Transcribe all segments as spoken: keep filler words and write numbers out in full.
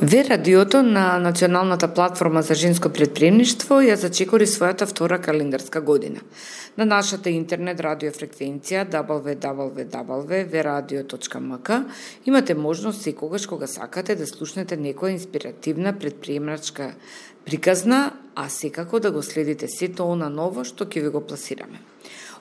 Ве радиото на Националната платформа за женско предприемништво ја зачекори својата втора календарска година. На нашата интернет радиофреквенција дабл ю дабл ю дабл ю точка ве радио точка ем ка имате можност секогаш кога сакате да слушнете некоја инспиративна предприемачка приказна, а секако да го следите сето она ново што ќе ви го пласираме.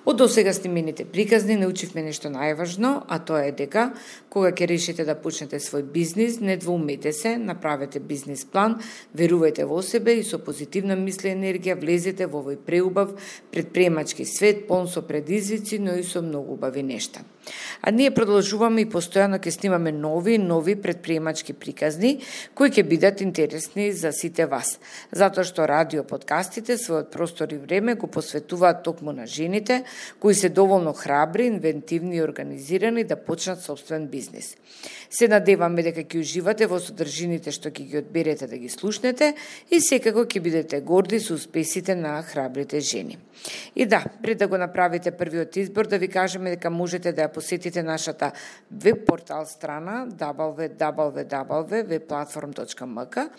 Од досега снимените приказни научивме нешто најважно, а тоа е дека кога ќе решите да почнете свој бизнис, не двоумете се, направете бизнис план, верувајте во себе и со позитивна мисла и енергија влезете во овој преубав предприемачки свет, полн со предизвици, но и со многу убави нешта. А ние продолжуваме и постојано ќе снимаме нови нови предприемачки приказни кои ќе бидат интересни за сите вас, затоа што радио подкастите својот простор и време го посветуваат токму на жените кои се доволно храбри, инвентивни и организирани да почнат собствен бизнис. Се надеваме дека ќе уживате во содржините што ќе ги одберете да ги слушнете и секако ќе бидете горди со успесите на храбрите жени. И да, пред да го направите првиот избор, да ви кажеме дека можете да ја посетите нашата веб портал страна дабл ю дабл ю дабл ю точка ве платформ точка ем ка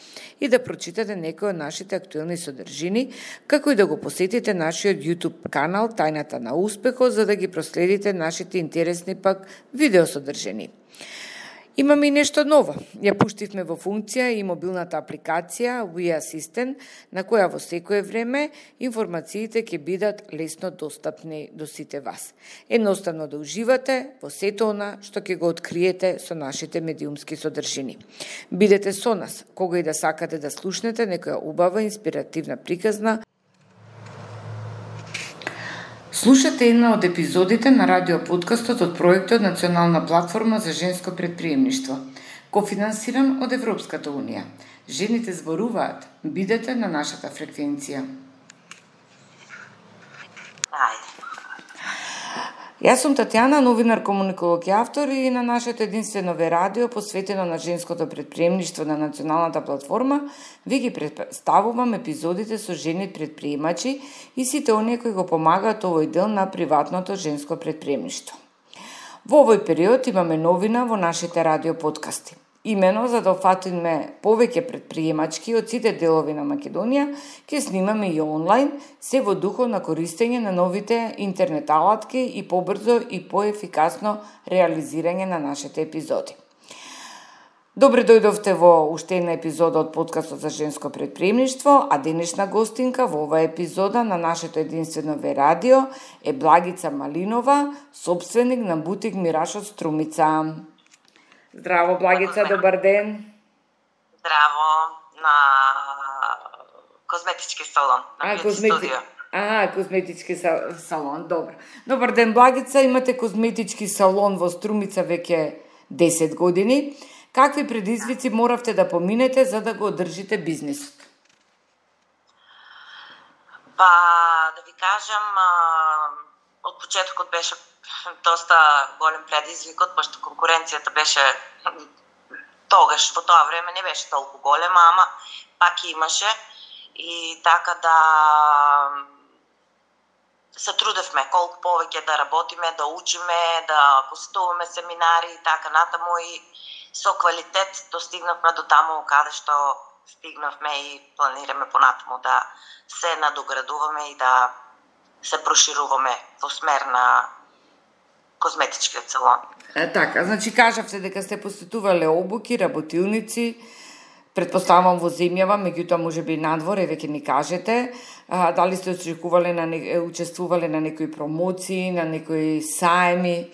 и да прочитате некои од нашите актуелни содржини, како и да го посетите нашиот YouTube канал Тајната на успехот, за да ги проследите нашите интересни пак видеосодржини. Имаме и нешто ново. Ја пуштивме во функција и мобилната апликација We Assistant, на која во секое време информациите ќе бидат лесно достапни до сите вас. Едноставно да уживате во сето она што ќе го откриете со нашите медиумски содржини. Бидете со нас, кога и да сакате да слушнете некоја убава инспиративна приказна. Слушате една од епизодите на радиоподкастот од проектот Национална платформа за женско предприемништво, кофинансиран од Европската унија. Жените зборуваат. Бидете на нашата фреквенција. Ајде. Јас сум Татјана, новинар, комуниколог и автор, и на нашето единствено ве радио посветено на женското предприемништво на Националната платформа ви ги представувам епизодите со жени предприемачи и сите оние кои го помагаат овој дел на приватното женско предприемништво. Во овој период имаме новина во нашите радио подкасти. Имено за да офатиме повеќе предприемачки од сите делови на Македонија, ќе снимаме и онлайн, се во духот на користење на новите интернет алатки и побрзо и поефикасно реализирање на нашите епизоди. Добре дојдовте во уште една епизода од подкастот за женско предприемништво, а денешна гостинка во оваа епизода на нашето единствено ве радио е Благица Малинова, собственик на бутик Мираж од Струмица. Здраво, Благица, добар ден. Здраво на козметички салон, на а, козмети... студио. А, козметички салон, добро. Добар ден, Благица, имате козметички салон во Струмица веќе десет години. Какви предизвици моравте да поминете за да го одржите бизнисот? Па, да ви кажам, од почетокот беше доста голем предизвикот, пошто конкуренцијата беше тогаш, во тоа време не беше толку голема, ама пак имаше и така да се трудевме колку повеќе да работиме, да учиме, да посетуваме семинари и така натаму и со квалитет достигнавме до таму каде што стигнавме и планираме понатаму да се надоградуваме и да се прошируваме во смер на козметичкиот салон. Е, така, значи кажавте дека сте посетувале обуки, работилници, предпоставам во земјава, меѓутоа можеби надвор, еве ќе ни кажете, а, дали сте очекувале на не, учествувале на некои промоции, на некои саеми?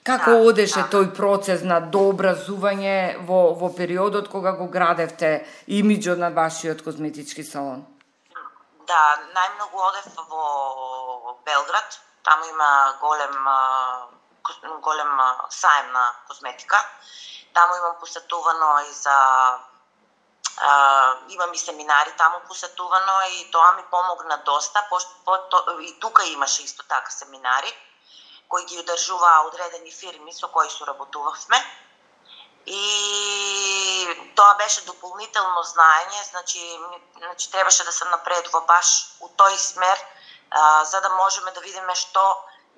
Како да, одеше да. тој процес на дообразување во во периодот кога го градевте имиџот на вашиот козметички салон? Да, најмногу одев во Белград. Таму има голем голем саем на козметика. Таму имам посетувано и за а, имам и семинари таму посетувано и тоа ми помогна доста, пошто по, и тука имаше исто така семинари кои ги одржуваа одредени фирми со кои соработувавме. И тоа беше дополнително знаење, значи, значи требаше да се напредува баш у тој смер, а, за да можеме да видиме што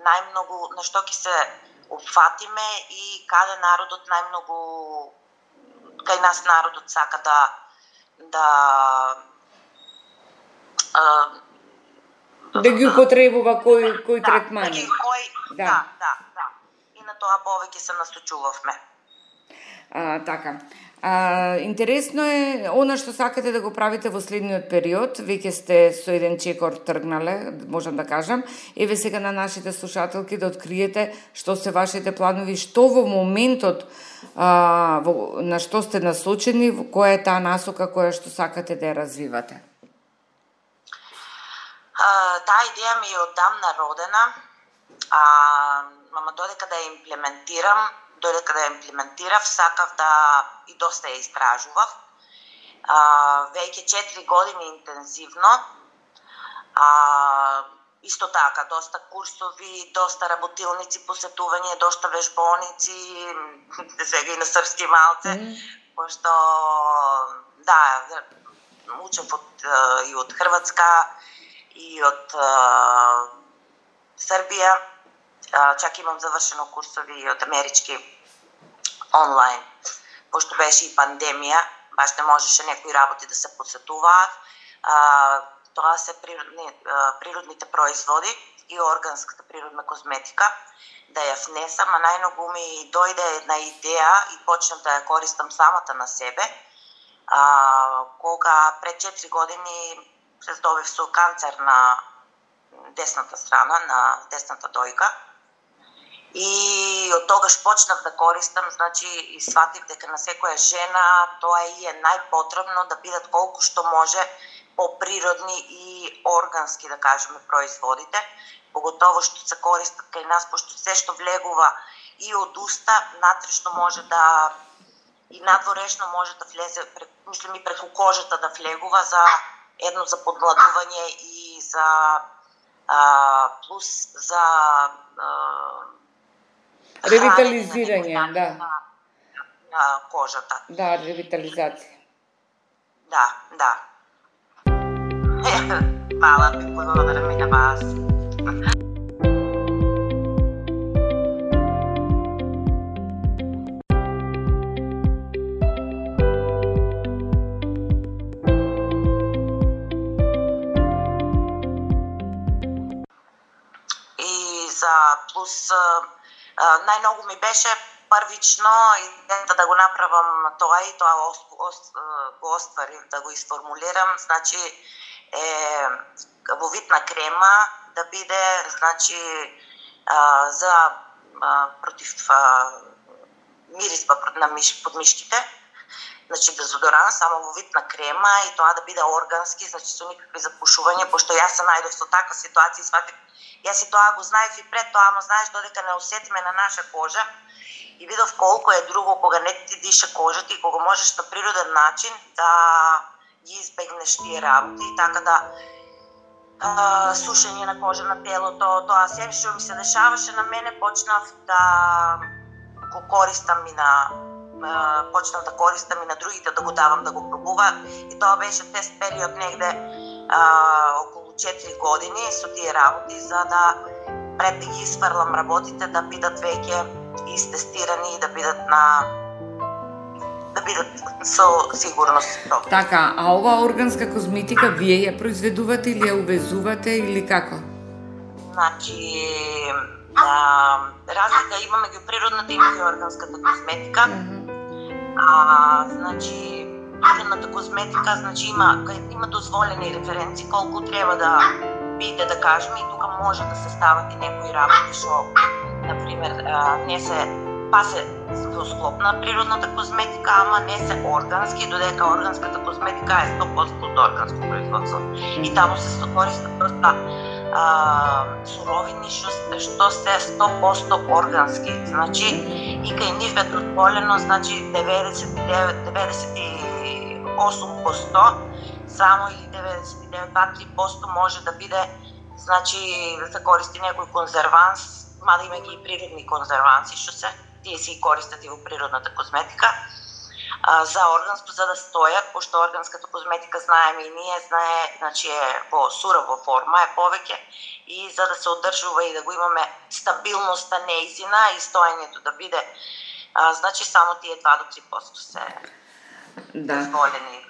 најмногу, на што ќе се опфатиме и каде народот најмногу кај нас народот сака да да а, да ги употребува кој кој да, третмани. Да, кој, да. да, да, да. И на тоа повеќе се насочувавме. А, така. А, интересно е она што сакате да го правите во следниот период. Веќе сте со еден чекор тргнале, можам да кажам. Еве сега на нашите слушателки да откриете што се вашите планови, што во моментот а, во, на што сте насочени, која е таа насока која што сакате да ја развивате. А, таа идеја ми е одамна родена, а, ама додека да ја имплементирам, додека да ја имплементирав, сакав да и доста ја истражував. А, веќе четири години интензивно, а, исто така, доста курсови, доста работилници, посетување, доста вежбоници, сега и на српски малце, mm. пошто, да, учев од, и од Хрватска, и од а, Србија, а, чак имам завршено курсови и од амерички онлайн, пошто беше и пандемија, баш не можеше некои работи да се посетуваат. А, тоа се природни, а, природните производи и органската природна козметика, да ја внесам, а најмногу ми дојде една идеја и почнав да ја користам самата на себе, а, кога пред четири години се здобив со канцер на десната страна, на десната дојка. И од тогаш почнав да користам, значи и сватив дека на секоја жена тоа и е најпотребно да бидат колку што може поприродни и органски, да кажеме, производите, поготово што се користат кај нас, пошто се што влегува и од уста, натрешно може да и надворешно може да влезе, мислам и преку кожата да влегува за едно за подмладување и за а, плюс за а, ревитализирање, на, да. На, на кожата. Да, ревитализација. Да, да. Хвала ви, благодарам и на вас. За плюс најмногу ми беше првично идејата да го направам тоа и тоа го остварив, да го isformулирам, значи е во вид на крема да биде, значи за против мирисба на миш, под мишките, значи дезодорант само во вид на крема и тоа да биде органски, значи со никакви запушувања, пошто јас се најдов со таква ситуација и сватив. Јас и тоа го знаев и пред тоа, ама знаеш додека не усетиме на наша кожа и видов колку е друго кога не ти диша кожата и кога можеш на природен начин да ги избегнеш тие работи и така да а, сушење на кожа на телото, тоа се што ми се дешаваше на мене, почнав да го користам и на а, почнав да користам и на другите да го давам да го пробуваат и тоа беше тест период негде а, околу четири години со тие работи, за да пред да ги isfрлам работите да бидат веќе истестирани и да бидат на да бидат со сигурност. Така, а ова органска козметика вие ја произведувате или ја увезувате или како? Значи, а, разлика имаме ги природната и ги органската козметика. Uh-huh. А, значи, природната козметика, значи има има дозволени референци колку треба да биде, да кажеме, и тука може да се стават и некои работи што на пример не се па се во склоп на природната козметика, ама не се органски, додека органската козметика е сто проценти од органско производство. И таму се користат доста а, суровини што, што се сто проценти органски. Значи, и кај нив е дозволено, значи деветдесет и девет деветдесет и осум проценти само или деветдесет и девет до три проценти може да биде, значи да се користи некој конзерванс, мада има ги и природни конзерванси што се тие си користат и во природната козметика, а, за органско, за да стојат, пошто органската козметика знаеме и ние, знае, значи е во сурова форма, е повеќе, и за да се одржува и да го имаме стабилноста неизина и стоењето да биде, а, значи само тие два до три проценти се Да. дозволени.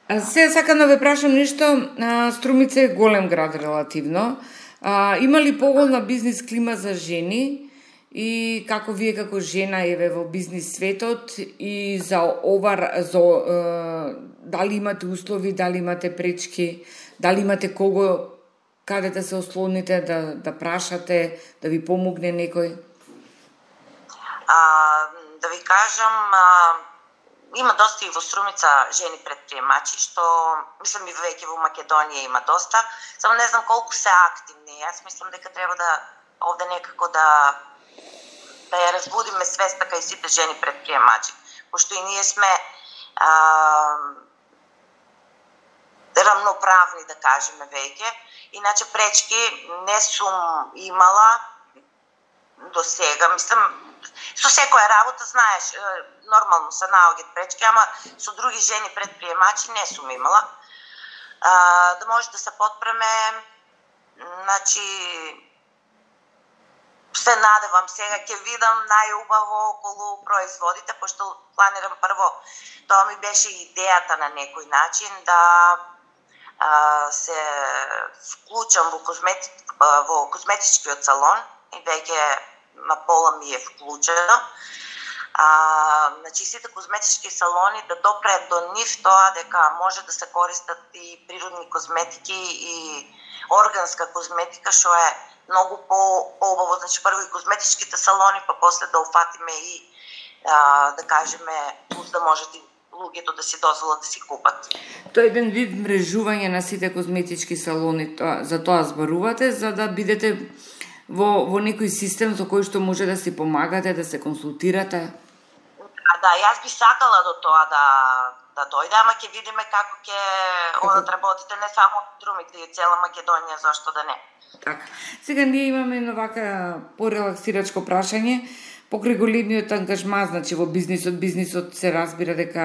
А сега сакам да ве прашам нешто, а, Струмица е голем град релативно. А, има ли поголна бизнис клима за жени и како вие како жена еве во бизнис светот и за ова за е, дали имате услови, дали имате пречки, дали имате кого каде да се ослоните, да да прашате, да ви помогне некој? А, да ви кажам, а, има доста и во Струмица жени предприемачи, што мислам и веќе во Македонија има доста, само не знам колку се активни. Јас мислам дека треба да овде некако да да ја разбудиме свеста кај сите жени предприемачи, пошто и ние сме а, рамноправни, да кажеме веќе. Иначе пречки не сум имала до сега. Мислам, со секоја работа, знаеш, нормално се наоѓаат пречки, ама со други жени предприемачи не сум имала. А, да може да се подпреме, значи, се надевам сега, ќе видам најубаво околу производите, пошто планирам прво, тоа ми беше идејата на некој начин, да а, се вклучам во, козмети, во козметичкиот салон и веќе на пола ми е вклучено. А, значи сите козметички салони да допреат до нив тоа дека може да се користат и природни козметики и органска козметика, што е многу по-убаво. Значи прво и козметичките салони, па после да уфатиме и а, да кажеме, плюс да можат и луѓето да си дозволат да си купат. Тоа е еден вид мрежување на сите козметички салони, тоа, за тоа зборувате, за да бидете во, во некој систем со кој што може да си помагате, да се консултирате? Да, јас би сакала до тоа да, да дојде, ама ќе видиме како ќе одат работите, не само Струмица и цела Македонија, зашто да не. Така. Сега ние имаме едно вака порелаксирачко прашање. Покрај големиот ангажман, значи во бизнисот, бизнисот се разбира дека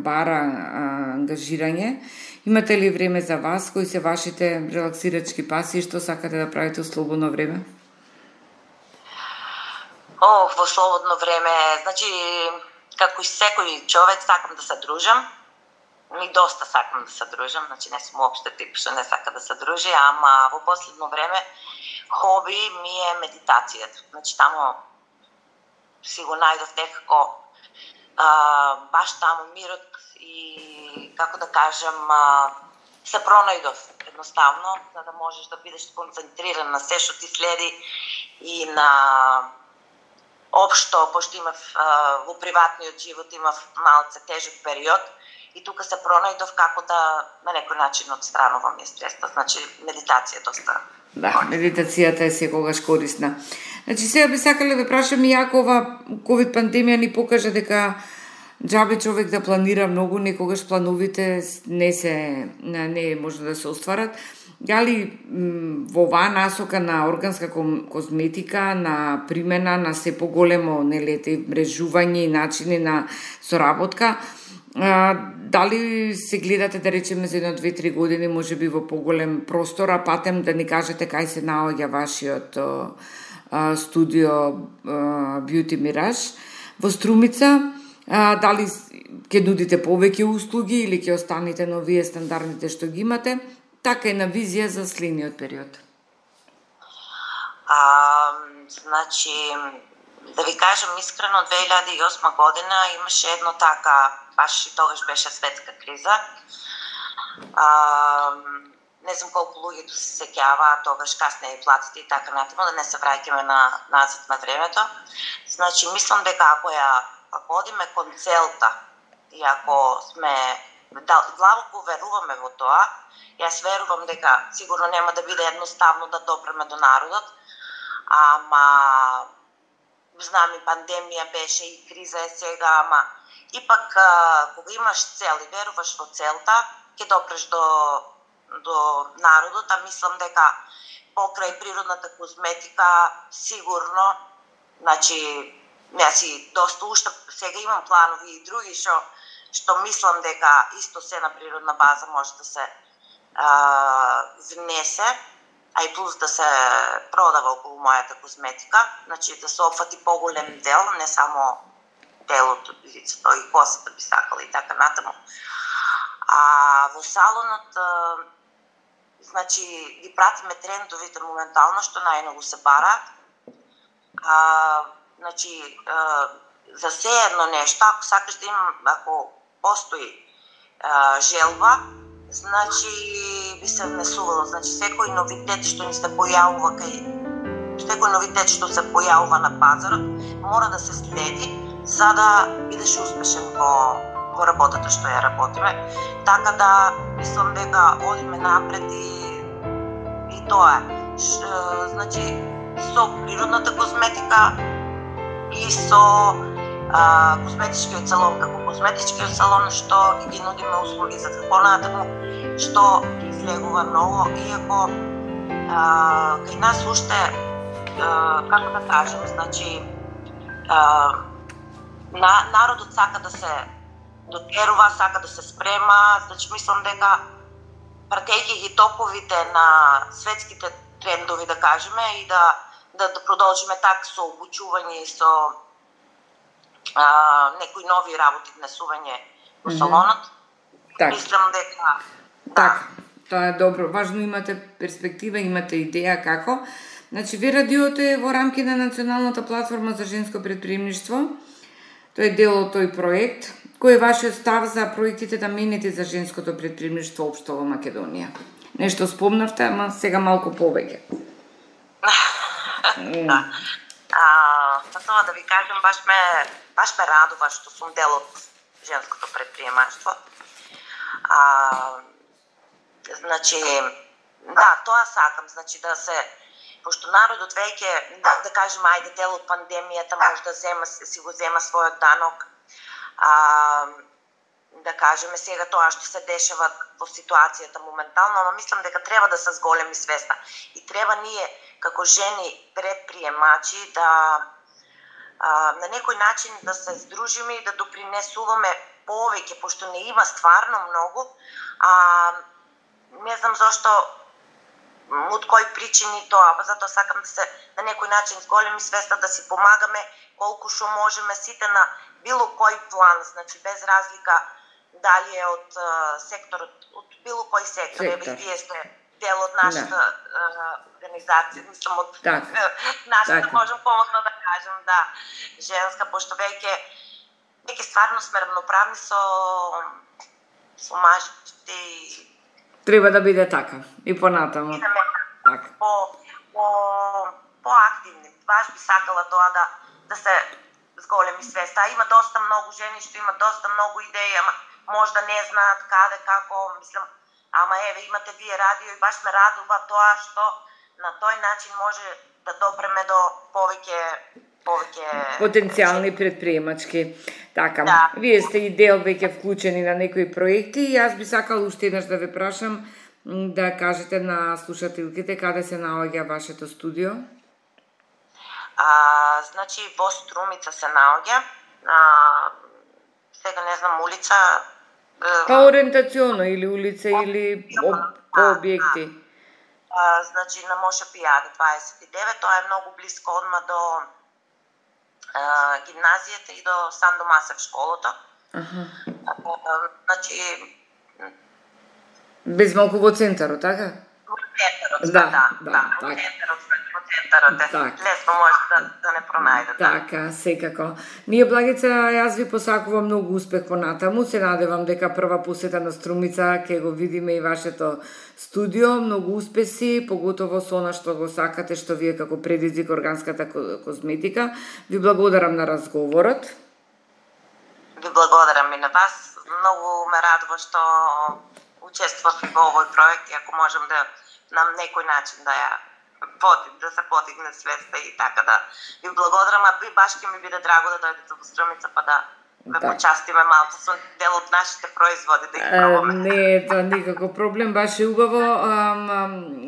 бара а, ангажирање. Имате ли време за вас? Кои се вашите релаксирачки паси и што сакате да правите во слободно време? О, во слободно време, значи, како и секој човек сакам да се дружам. Ми доста сакам да се дружам, значи не сум уопште тип што не сака да се дружи, ама во последно време хоби ми е медитацијата. Значи таму си го најдов некако а, баш таму мирот и како да кажам а, се пронајдов едноставно, за да можеш да бидеш концентриран на се што ти следи и на општо, пошто имав а, во приватниот живот имав малце тежок период и тука се пронајдов како да на некој начин отстранувам стреста. Значи медитација доста. Да, медитацијата е секогаш корисна. Значи сега би сакале да прашам и ако ова ковид пандемија ни покажа дека џабе човек да планира многу, некогаш плановите не се не може да се остварат. Дали во оваа насока на органска козметика, на примена на се поголемо нелете мрежување и начини на соработка, а, дали се гледате да речеме за едно две-три години можеби во поголем простор, а патем да ни кажете кај се наоѓа вашиот а, студио а, Beauty Mirage во Струмица, а, дали ќе нудите повеќе услуги или ќе останете на овие стандардните што ги имате, така и на визија за следниот период. А, значи, да ви кажам искрено, две илјади и осма година имаше едно така, баш и тогаш беше светска криза. А, не знам колку луѓето се сеќава, тогаш касне и платите и така натаму, да не се враќаме на назад на времето. Значи, мислам дека ако ја ако одиме кон целта и ако сме длабоко веруваме во тоа, јас верувам дека сигурно нема да биде едноставно да допреме до народот, ама знам и пандемија беше и криза е сега, ама ипак кога имаш цел и веруваш во целта, ќе допреш до до народот, а мислам дека покрај природната козметика сигурно, значи јас и доста уште сега имам планови и други што што мислам дека исто се на природна база може да се а, внесе, а и плюс да се продава околу мојата козметика, значи да се опфати поголем дел, не само телото, лицето и косата би сакала и така натаму. А во салонот, значи, ги пратиме трендовите моментално, што најмногу се бараат. А, значи, а, за се едно нешто, ако сакаш да имам, ако постои а, желба, значи би се внесувало. Значи, секој новитет што ни се појавува кај секој новитет што се појавува на пазарот, мора да се следи за да бидеш успешен во во работата што ја работиме. Така да мислам дека одиме напред и и тоа е. Значи, со природната козметика и со а, козметичкиот салон како козметичкиот салон што ги нудиме услуги за понатаму, што ги излегува ново, иако а, кај нас уште а, како да кажем, значи а, на, народот сака да се дотерува, сака да се спрема, значи мислам дека пратејќи ги токовите на светските трендови, да кажеме, и да да, да продолжиме така со обучување и со а, некои нови работи, внесување во салонот. Так. Мислам дека да. Така, тоа е добро. Важно имате перспектива, имате идеја како. Значи, ви радиото е во рамки на Националната платформа за женско предприемништво. Тој е дел од тој проект. Кој е вашиот став за проектите да мените за женското предприемништво општо во Македонија? Нешто спомнавте, ама сега малку повеќе. Да. А, па тоа да ви кажем, баш ме, баш ме радува што сум дел од женското предприемаштво. А, значи, да, тоа сакам, значи да се, пошто народот веќе, да, да кажем, ајде дел од пандемијата, може да зема, си го зема својот данок. А, да кажеме сега тоа што се дешава во ситуацијата моментално, но мислам дека треба да се зголеми свеста и треба ние како жени предприемачи да а, на некој начин да се здружиме и да допринесуваме повеќе, пошто не има стварно многу, а не знам зошто, од кои причини тоа, па затоа сакам да се на некој начин зголеми свеста, да си помагаме колку што можеме сите на било кој план, значи без разлика дали е од uh, секторот, од било кој сектор, еве вие сте дел од нашата uh, организација, мислам од так. нашата, так. можам помосно да кажем, да, женска, пошто веќе веќе стварно сме равноправни со со мажите и треба да биде така и понатаму. И да така. По по поактивни. Баш би сакала тоа да да се зголеми свеста. Има доста многу жени што имаат доста многу идеи, ама можда не знаат каде, како, мислам, ама еве имате вие радио и баш ме радува тоа што на тој начин може да допреме до повеќе повеќе потенцијални предприемачки. Така, да. Вие сте и дел веќе вклучени на некои проекти и јас би сакала уште еднаш да ве прашам да кажете на слушателките каде се наоѓа вашето студио. А, значи во Струмица се наоѓа. А, сега не знам улица. Па ориентационо или улица или об, по објекти. А, значи на Моша Пијаде дваесет и девет, тоа е многу близко одма до а, гимназијата и до Сандо Масев школото. Аха. А, значи без малку во центарот, така? Во центарот, да, да, да, да, така. во центарот, во центарот е. Так. Лесно може да, да не пронајдете. Така, секако. Ние, Благица, јас ви посакувам многу успех понатаму. Се надевам дека прва посета на Струмица ќе го видиме и вашето студио. Многу успеси, поготово со она што го сакате, што вие како предизвик органската козметика. Ви благодарам на разговорот. Ви благодарам и на вас. Многу ме радува што учествував во овој проект и ако можам да на некој начин да ја поди, да се подигне свеста и така да ви благодарам, а би баш ќе ми биде драго да дојдете во Струмица па да ме да. почастиме малку со дел од нашите производи да ги пробаме. Не, тоа никако проблем, баш е убаво.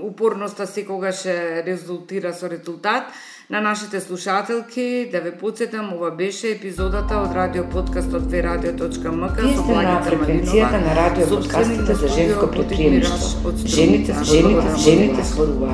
Упорноста секогаш резултира со резултат. На нашите слушателки да ве потсетам, ова беше епизодата од радио подкастот две радио точка ем ка со Благица Малинова, на радио подкастите за женско предприемништво. Жените, жените, жените зборуваат.